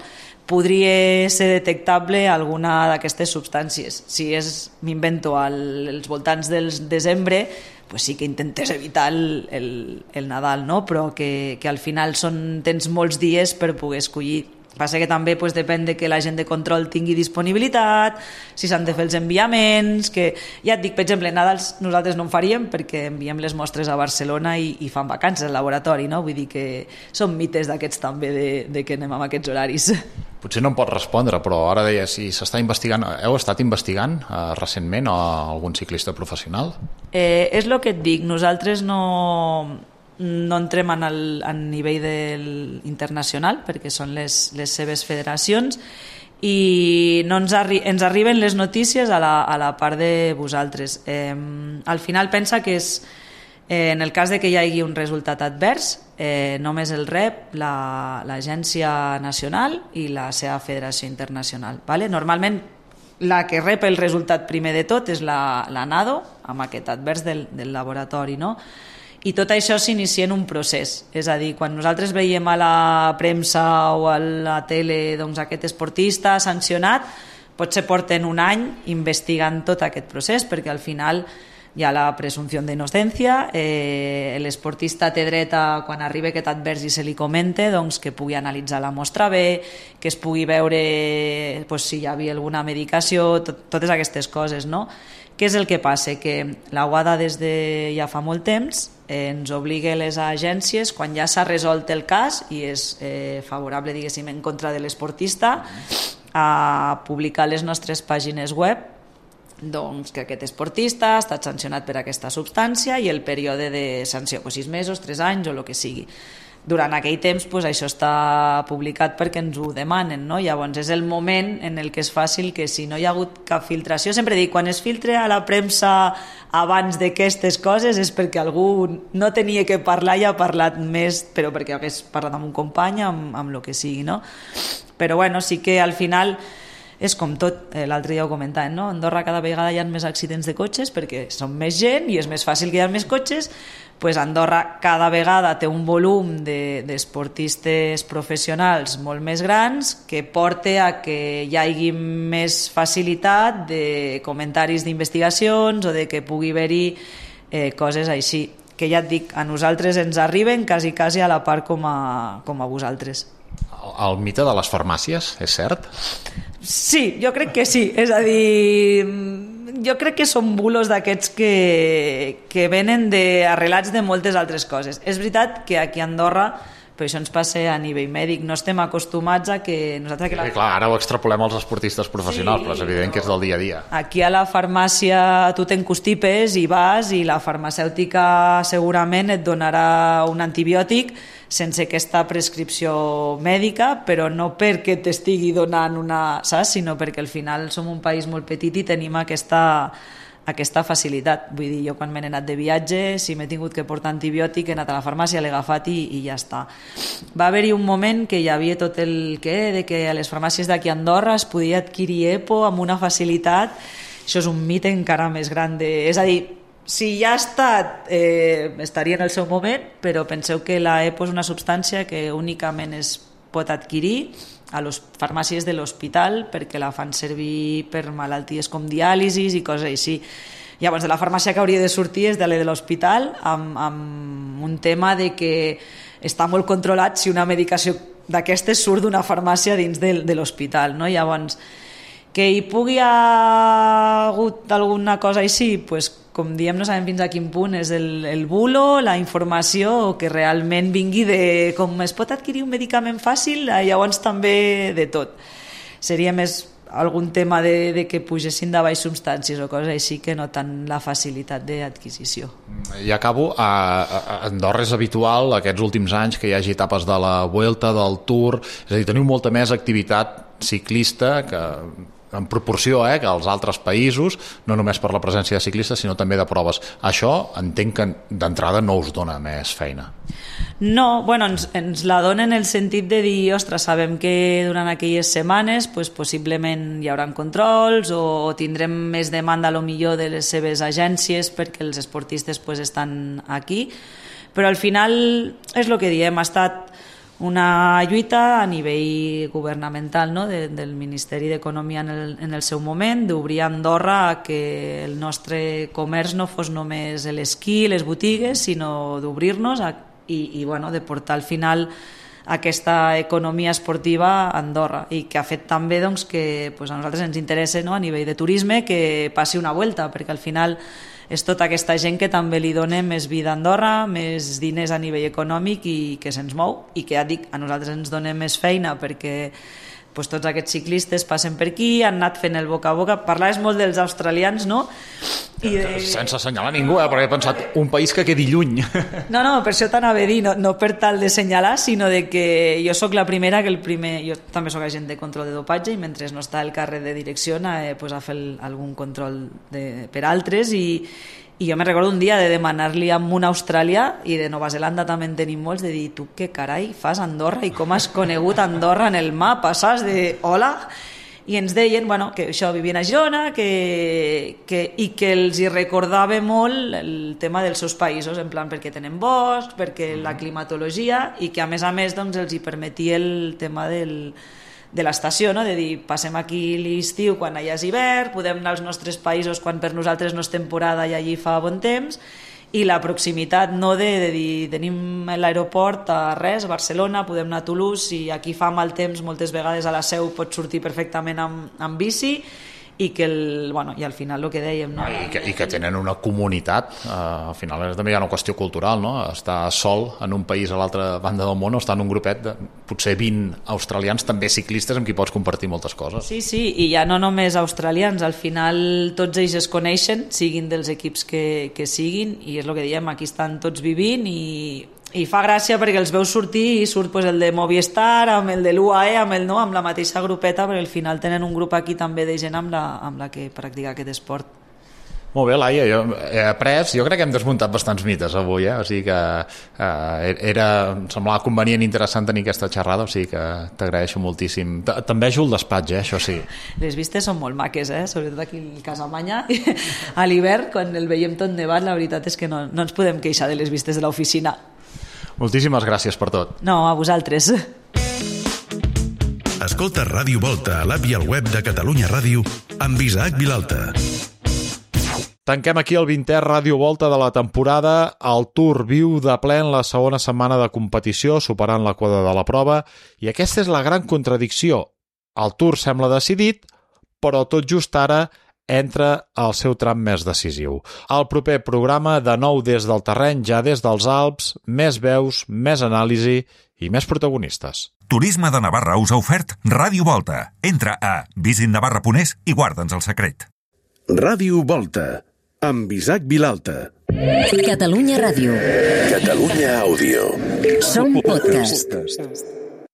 M: podria ser detectable alguna d'aquestes substàncies. Si és, m'invento, als voltants del desembre, pues sí que intentes evitar el Nadal, no? Però que al final tens molts dies per poder escollir. Passa que també pues, depèn de que la gent de control tingui disponibilitat, si s'han de fer els enviaments, que ja et dic, per exemple, Nadals nosaltres no en faríem perquè enviem les mostres a Barcelona i fan vacances al laboratori, no? Vull dir que són mites d'aquests també de que anem amb aquests horaris.
D: Potser no em pot respondre, però ara deia si s'està investigant, heu estat investigant recentment a algun ciclista professional?
M: És el que et dic, nosaltres no entrem a nivell internacional perquè són les seves federacions i no ens arriben les notícies a la part de vosaltres. Al final pensa que és en el cas de que hi hagi un resultat advers, només el rep l'Agència Nacional i la seva Federació Internacional. Normalment la que rep el resultat primer de tot és la NADO, amb aquest advers del laboratori, no? I tot això s'inicia en un procés, és a dir, quan nosaltres veiem a la premsa o a la tele doncs, aquest esportista sancionat, potser porten un any investigant tot aquest procés, perquè al final hi ha la presumpció d'innocència, l'esportista té dret a, quan arriba aquest advers i se li comente, doncs, que pugui analitzar la mostra bé, que es pugui veure si hi havia alguna medicació, totes aquestes coses, no? Què és el que passa? Que la UADA des de ja fa molt temps ens obliga a les agències, quan ja s'ha resolt el cas i és favorable, diguéssim, en contra de l'esportista, a publicar les nostres pàgines web doncs, que aquest esportista ha estat sancionat per aquesta substància i el període de sanció, 6 mesos, 3 anys o el que sigui. Durant aquell temps això està publicat perquè ens ho demanen, no? Llavors és el moment en el que és fàcil que si no hi ha hagut cap filtració, sempre dic, quan es filtra a la premsa abans d'aquestes coses és perquè algú no tenia que parlar i ha parlat més, però perquè hagués parlat amb un company, amb el que sigui, no? Però bueno, sí que al final és com tot, l'altre dia ho comentàvem, no? A Andorra cada vegada hi ha més accidents de cotxes perquè són més gent i és més fàcil que hi ha més cotxes, doncs Andorra cada vegada té un volum d'esportistes professionals molt més grans que porta a que hi hagi més facilitat de comentaris d'investigacions o de que pugui haver-hi coses així, que ja et dic, a nosaltres ens arriben quasi a la part com a vosaltres.
D: El mite de les farmàcies, és cert?
M: Sí, jo crec que sí, és a dir, jo crec que són bulos d'aquests que venen arrelats de moltes altres coses. És veritat que aquí a Andorra, però això ens passa a nivell mèdic, no estem acostumats a que nosaltres...
D: Sí, clar, ara ho extrapolem als esportistes professionals, sí, però és evident que és del dia a dia.
M: Aquí a la farmàcia tu t'encostipes i vas i la farmacèutica segurament et donarà un antibiòtic sense aquesta prescripció mèdica, però no perquè t'estigui donant saps? Sinó perquè al final som un país molt petit i tenim aquesta facilitat. Vull dir, jo quan m'he anat de viatge, si m'he tingut que portar antibiòtic, he anat a la farmàcia, l'he agafat i ja està. Va haver-hi un moment que hi havia tot el de que a les farmàcies d'aquí a Andorra es podia adquirir EPO amb una facilitat. Això és un mite encara més gran. És a dir, si ja ha estat, estaria en el seu moment, però penseu que la EPO és una substància que únicament es pot adquirir a les farmàcies de l'hospital perquè la fan servir per malalties com diàlisis i coses així. Llavors, de la farmàcia que hauria de sortir és de la de l'hospital amb un tema de que està molt controlat si una medicació d'aquestes surt d'una farmàcia dins de l'hospital, no? Llavors, que hi pugui haver hagut alguna cosa així, doncs com diem, no sabem fins a quin punt és el bulo, la informació, o que realment vingui de com es pot adquirir un medicament fàcil, llavors també de tot. Seria més algun tema de que pugessin de baix substàncies o coses així, que no tant la facilitat d'adquisició.
D: I acabo, a Andorra és habitual aquests últims anys que hi hagi etapes de la Vuelta, del Tour, és a dir, teniu molta més activitat ciclista que en proporció que als altres països, no només per la presència de ciclistes sinó també de proves. Això entenc que d'entrada no us dona més feina.
M: No, bueno, ens la dona en el sentit de dir, ostres, sabem que durant aquelles setmanes possiblement hi haurà controls o tindrem més demanda a lo millor de les seves agències perquè els esportistes estan aquí, però al final és el que diem, ha estat una lluita a nivell governamental, no? del Ministeri d'Economia en el seu moment, d'obrir Andorra a que el nostre comerç no fos només l'esquí, les botigues, sinó d'obrir-nos i de portar al final aquesta economia esportiva a Andorra, i que ha fet també que a nosaltres ens interessa, a nivell de turisme, que passi una volta, perquè al final és tota aquesta gent que també li dona més vida a Andorra, més diners a nivell econòmic i que se'ns mou, i que ja dic, a nosaltres ens dona més feina perquè tots aquests ciclistes passen per aquí, han anat fent el boca a boca. Parlaves molt dels australians, no?
D: Sense assenyalar ningú, perquè he pensat un país que quedi lluny.
M: No, per això t'anava a dir, no per tal de assenyalar, sinó de que jo sóc la primera jo també sóc agent de control de dopatge i mentre no està el càrrec de direcció a fer algun control per altres, i jo me recordo un dia de demanar-li a un australià, i de Nova Zelanda també en tenim molts, de dir, tu què carai fas a Andorra i com has conegut Andorra en el mapa, saps? De hola, i ens deien que això, vivien a Girona i que els hi recordava molt el tema dels seus països, en plan perquè tenen bosc, perquè la climatologia, i que a més els hi permetia el tema de l'estació, de dir, passem aquí l'estiu quan allà és hivern, podem anar als nostres països quan per nosaltres no és temporada i allí fa bon temps, i la proximitat de dir, tenim l'aeroport a res, a Barcelona, podem anar a Toulouse, i aquí fa mal temps, moltes vegades a la Seu pots sortir perfectament amb bici, i que i al final el que dèiem, no?
D: I que tenen una comunitat, al final també hi ha una qüestió cultural, no? Estar sol en un país a l'altra banda del món, o estar en un grupet de potser 20 australians, també ciclistes, amb qui pots compartir moltes coses.
M: Sí, i ja no només australians, al final tots ells es coneixen, siguin dels equips que siguin, i és el que diem, aquí estan tots vivint, i fa gràcia perquè els veus sortir i surt el de Movistar, amb el de l'UAE, amb la mateixa grupeta, perquè al final tenen un grup aquí també de gent amb la que practica aquest esport.
D: Molt bé, Laia, jo crec que hem desmuntat bastants mites avui, o sigui que em semblava convenient i interessant tenir aquesta xerrada, o sigui que t'agraeixo moltíssim. També ajuda el despatx, això sí.
M: Les vistes són molt maques, sobretot aquí a Casamanya. A l'hivern, quan el veiem tot nevat, la veritat és que no ens podem queixar de les vistes de l'oficina.
D: Moltíssimes gràcies per tot.
M: No, a vosaltres.
B: Escolta Ràdio Volta a l'app i al web de Catalunya Ràdio amb Isaac Vilalta.
D: Tanquem aquí el 20è Ràdio Volta de la temporada. El Tour viu de ple en la segona setmana de competició, superant la quota de la prova, i aquesta és la gran contradicció. El Tour sembla decidit, però tot just ara entra al seu tram més decisiu. Al proper programa, de nou des del terreny, ja des dels Alps, més veus, més anàlisi i més protagonistes.
C: Turisme de Navarra us ha ofert Ràdio Volta. Entra a visitnavarra.es i guarda'ns el secret.
B: Ràdio Volta, amb Isaac Vilalta.
A: Catalunya Ràdio.
B: Catalunya Àudio.
A: Som podcast.